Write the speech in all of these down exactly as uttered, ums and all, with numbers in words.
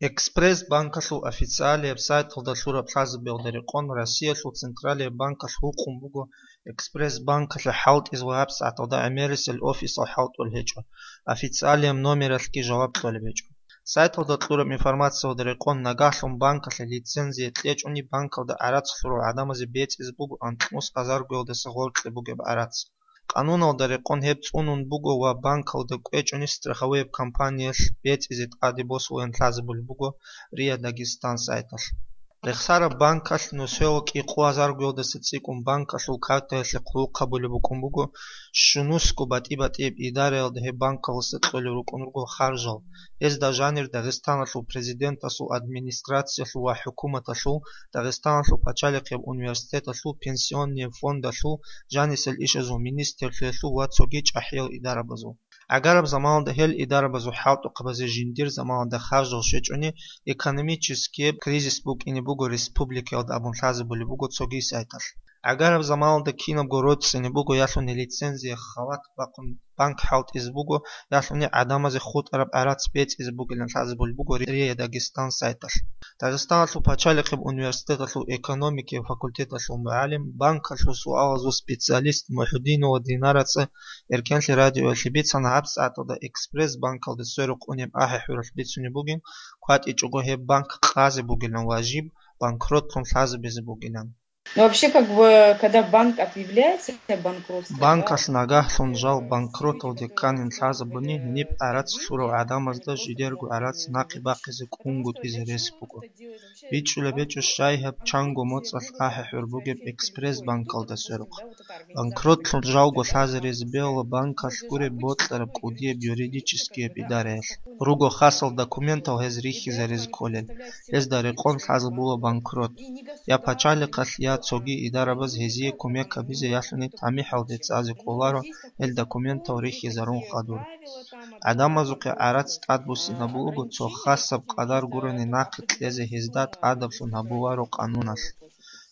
Экспресс-банкалъул официалияб сайталда лъураб лъазабиялда рекъон Россиялъул Централияб банкалъ гьукъун буго Экспресс-банкалъе хӀалтӀизе ва гьабсагӀаталда гӀемерисел офисал хӀалтӀулел гьечӀо, официалияб номералъги жаваб кьолеб гьечӀо. Сайталда кьураб информациялда рекъон нагагьлъун банкалъе лицензия кьечӀони банкалда гӀарац лъурал гӀадамазе бецӀизе буго анкьнус азаргоялдаса гъоркье бугеб гӀарац. Къануналда рекъон гьеб цӀунун буго ва банкалда кӀвечӀони страховояб компаниялъ бецӀизе тӀаде босулин лъазабулеб буго РИА Дагестан сайталъ. Рехсараб банкалъ нусоялъ кӀикъоязаргоялдаса цӀикӀкӀун банкалъул картаялъе хъулухъ гьабулеб букӀун буго, щунусго батӀи-батӀияб идараялда гьеб банкалдаса кьолел рукӀун руго харжал. Гьезда жанир Дагъистаналъул Президенталъул администрациялъул ва хӀукуматалъул, Дагъистаналъул пачалихъияб университеталъул, пенсионный фондалъул, жанисел ишазул министрлъиялъул ва цоги чӀахӀиял идарабазул. ГӀагараб заманалда гьел идарабазул хӀалтӀухъабазе жиндир заманалда харжал щвечӀони, экономическияб кризис букӀине буго республикаялда абун лъазабулеб буго цоги сайталъ. ГӀагараб заманалда кинабго роцӀцӀине буго ялъуни лицензия халат бахъун банк хӀалтӀизе буго, ялъуни гӀадамазе хутӀараб гӀарац бецӀизе бугилан лъазабулеб буго РИА Дагестан сайталъ. Дагъистаналъул пачалихъияб университеталъул экономикияв факультеталъул мугӀалим, банкалъул суалазул специалист МухӀудинова Динараца Эркенлъи радиоялъе бицана гьабсагӀаталда Экспресс-банкалда сверухъ унеб ахӀи-хӀуралъ бицунеб бугин кватӀичӀого гьеб банк къазе бугилан ва жиб банкротлъун лъазабизе бугилан. Ну, вообще, как бы, когда банк объявляется банкротство, да, Банкалъ нагагьлъун жал банкроталде кканин лъазабуни, гьениб гӀарац лъурал гӀадамазда жидерго гӀарац нахъе бахъизе кӀунгутӀизе рес буго. БичӀчӀулеб гьечӀо щай гьаб чанго моцӀалъ ахӀи-хӀур бугеб Экспресс-банкалда сверухъ. Банкротлъун жалго лъазаризе бегьула банкалъ гуреб бокьараб кӀудияб юридическияб идараялъ. Руго хасал документал гьез рихьизаризе кколел, гьезда рекъон лъазабула банкрот. Я пачалихъалъ, я цоги идарабаз гьезие кумек гьабизе ялъуни тамихӀалде цӀазе кӀоларо гьел документал рихьизарун хадур. ГӀадамазухъе гӀарац тӀадбуссинабулего цо хасаб къадар гурони нахъе кьезе гьезда тӀадаблъун гьабуларо къануналъ.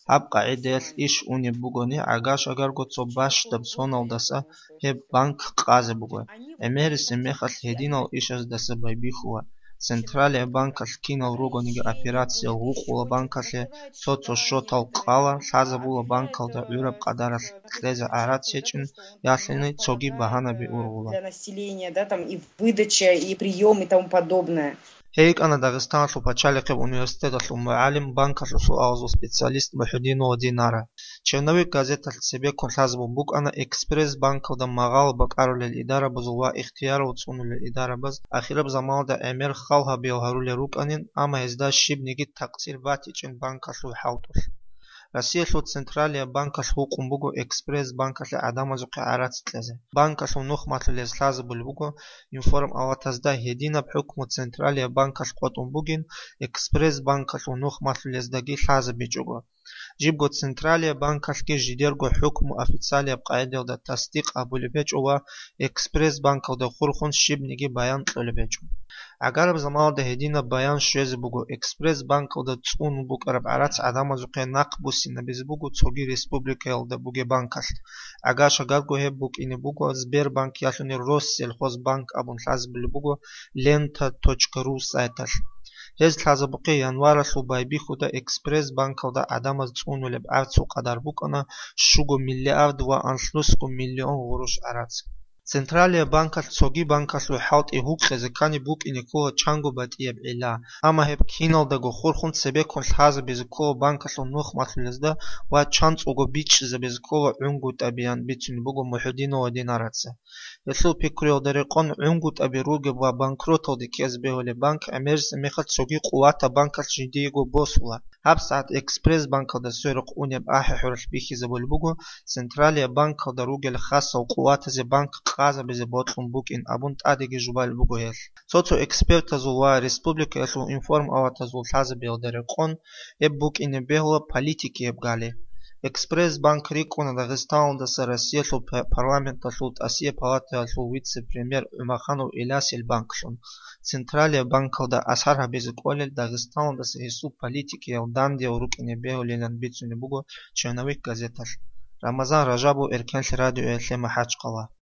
Гьаб къагӀидаялъ иш унеб бугони, гӀага-шагарго цо бащдаб соналдаса гьеб банк къазе буго. ГӀемерисеб мехалъ гьединал ишаздаса байбихьула, Централияб банкалъ кинал ругониги операциял гьукъула банкалъе, цо-цо счетал къала, лъазабула банкалда гӀураб къадаралъ кьезе гӀарац гьечӀин, ялъуни цоги багьанаби ургъула. Для населения, да, там и выдача, и приём, и тому подобное. Гьей йикӀана Дагъистаналъул пачалихъеб университеталъул мугӀалим, банкалъул суалазул специалист МухӀудинова Динара. Черновик газеталъ цебеккун лъазабун букӀана Экспресс-банкалда магъало бакӀарулел идарабазул ва ихтиярал цӀунулел идарабаз ахираб заманалда гӀемер хал гьабиял гьарулел рукӀанин, амма гьезда щибниги такъсир батичӀин банкалъул хӀалтӀулъ. Россиялъул Централияб банкалъ гьукъун буго Экспресс-банкалъе гӀадамазухъе гӀарац кьезе, банкалъул нух малъулез лъазабулеб буго, информалатазда гьединаб хӀукму Централияб банкалъ къотӀун бугин, Экспресс-банкалъул нух малъулездаги лъазабичӀого. Жибго Централияб банкалъги жидерго хӀукму официалияб къагӀидаялда тасдикъ гьабулеб гьечӀо ва Экспресс-банкалда хурхун щибниги баян кьолеб гьечӀо. ГӀагараб заманалда гьединаб баян щвезе буго, Экспресс-банкалда цӀунун букӀараб гӀарац гӀадамазухъе нахъ буссинабизе буго цоги республикаялда бугеб банкалъ. ГӀага-шагарго гьеб букӀине буго Сбербанк ялъуни Россельхозбанк абун лъазабулеб буго лента точка ру сайталъ. Гьез лъазабухъе январалъул байбихьуда Экспресс-банкалда гӀадамаз цӀунулеб гӀарцул къадар букӀана щуго миллиард ва анлънусго миллион гъурущ гӀарац. Централияб банкалъ цоги банкалъул хӀалтӀи гьукъизе ккани букӀине ккола чанго батӀияб гӀилла, амма гьеб киналдаго хурхун цебеккун лъазабизе ккола банкалъул нух малъулезда ва чанцӀулго бичӀчӀизабизе ккола гӀунгутӀабиян бицунеб буго МухӀудинова Динараца. Гьелъул пикруялда рекъон гӀунгутӀаби ругеб ва банкроталде ккезе бегьулеб банк гӀемерисеб мехалъ цоги къуватаб банкалъ жиндиего босула. ГьабсагӀат Экспресс-банкалда сверухъ унеб ахӀи-хӀуралъ бихьизабулеб буго, Централияб банкалда ругел хасал къуватазе банк къазабизе бокьун букӀин абун тӀадеги жубалеб буго гьелъ. Цо-цо экспертазул ва республикаялъул информалатазул лъазабиялда рекъон гьеб букӀине бегьула политикияб гали. Экспресс-банк рикӀкӀуна Дагъистаналдаса Россиялъул п-, парламенталъул тӀасияб палатаялъул вице-премьер ГӀумаханов Илясил банклъун. Централияб банкалда асар гьабизе кӀолел Дагъистаналдаса гьесул политикиял дандиял рукӀине бегьулилан бицунеб буго «Черновик» газеталъ. Рамазан Ражабов, Эркенлъи радиоялъе МахӀачхъала.